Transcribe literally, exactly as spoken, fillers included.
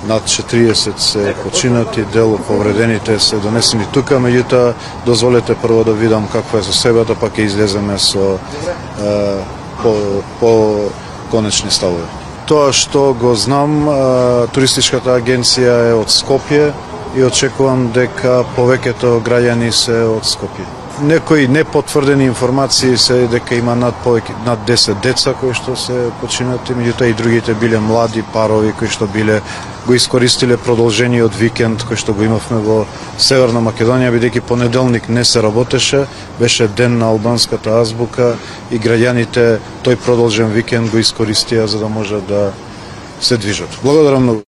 над четириесет се починати, дел повредените се донесени тука, меѓутоа дозволете прво да видам каква е состојбата, па ќе излеземе со е, по, по конечни ставови. Тоа што го знам, туристичката агенција е од Скопје и очекувам дека повеќето граѓани се од Скопје. Некои непотврдени информации се дека има над повеќе над десет деца кои што се починати, меѓутоа и другите биле млади парови кои што биле го искористиле продолжениот викенд кој што го имавме во Северна Македонија, бидејќи понеделник не се работеше, беше ден на албанската азбука и граѓаните тој продолжен викенд го искористија за да може да се движат. Благодарам многу.